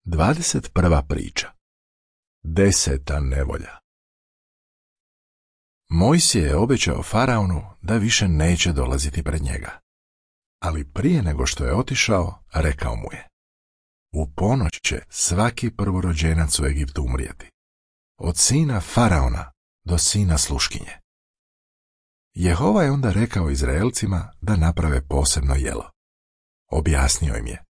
21. priča. 10. nevolja. Mojsije je obećao faraonu da više neće dolaziti pred njega. Ali prije nego što je otišao, rekao mu je: u ponoć će svaki prvorođenac u Egiptu umrijeti, od sina faraona do sina sluškinje. Jehova je onda rekao Izraelcima da naprave posebno jelo. Objasnio im je: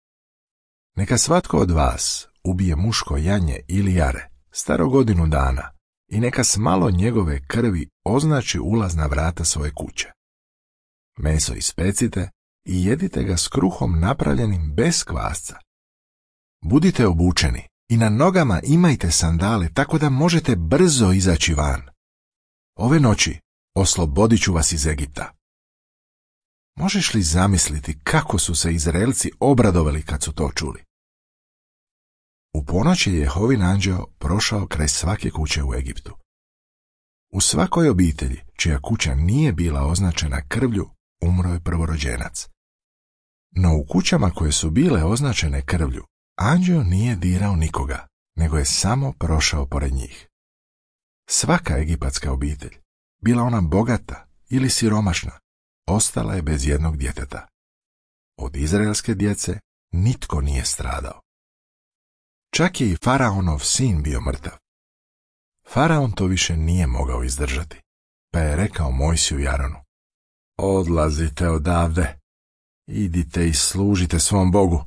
neka svatko od vas ubije muško janje ili jare, staro godinu dana, i neka s malo njegove krvi označi ulazna vrata svoje kuće. Meso ispecite i jedite ga s kruhom napravljenim bez kvasca. Budite obučeni i na nogama imajte sandale tako da možete brzo izaći van. Ove noći oslobodit ću vas iz Egipta. Možeš li zamisliti kako su se Izraelci obradovali kad su to čuli? U ponoć je Jehovin anđeo prošao kraj svake kuće u Egiptu. U svakoj obitelji čija kuća nije bila označena krvlju, umro je prvorođenac. No u kućama koje su bile označene krvlju, anđeo nije dirao nikoga, nego je samo prošao pored njih. Svaka egipatska obitelj, bila ona bogata ili siromašna, ostala je bez jednog djeteta. Od izraelske djece nitko nije stradao. Čak je i faraonov sin bio mrtav. Faraon to više nije mogao izdržati, pa je rekao Mojsiju i Aronu: odlazite odavde, idite i služite svom Bogu.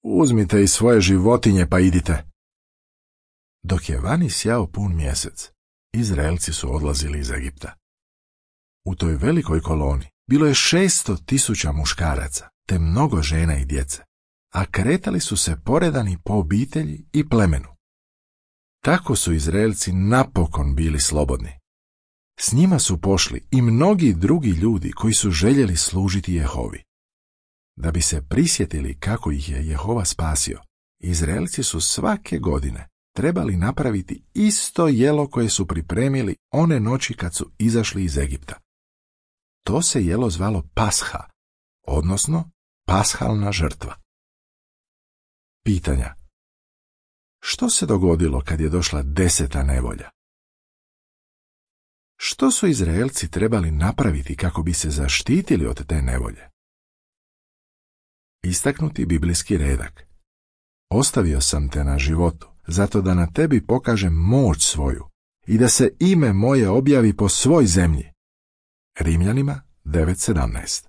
Uzmite i svoje životinje pa idite. Dok je vani sjao pun mjesec, Izraelci su odlazili iz Egipta. U toj velikoj koloni bilo je 600.000 muškaraca, te mnogo žena i djece, a kretali su se poredani po obitelji i plemenu. Tako su Izraelci napokon bili slobodni. S njima su pošli i mnogi drugi ljudi koji su željeli služiti Jehovi. Da bi se prisjetili kako ih je Jehova spasio, Izraelci su svake godine trebali napraviti isto jelo koje su pripremili one noći kad su izašli iz Egipta. To se jelo zvalo Pasha, odnosno pashalna žrtva. Pitanja. Što se dogodilo kad je došla 10. nevolja? Što su Izraelci trebali napraviti kako bi se zaštitili od te nevolje? Istaknuti biblijski redak. Ostavio sam te na životu, zato da na tebi pokažem moć svoju i da se ime moje objavi po svoj zemlji. Rimljanima 9:17.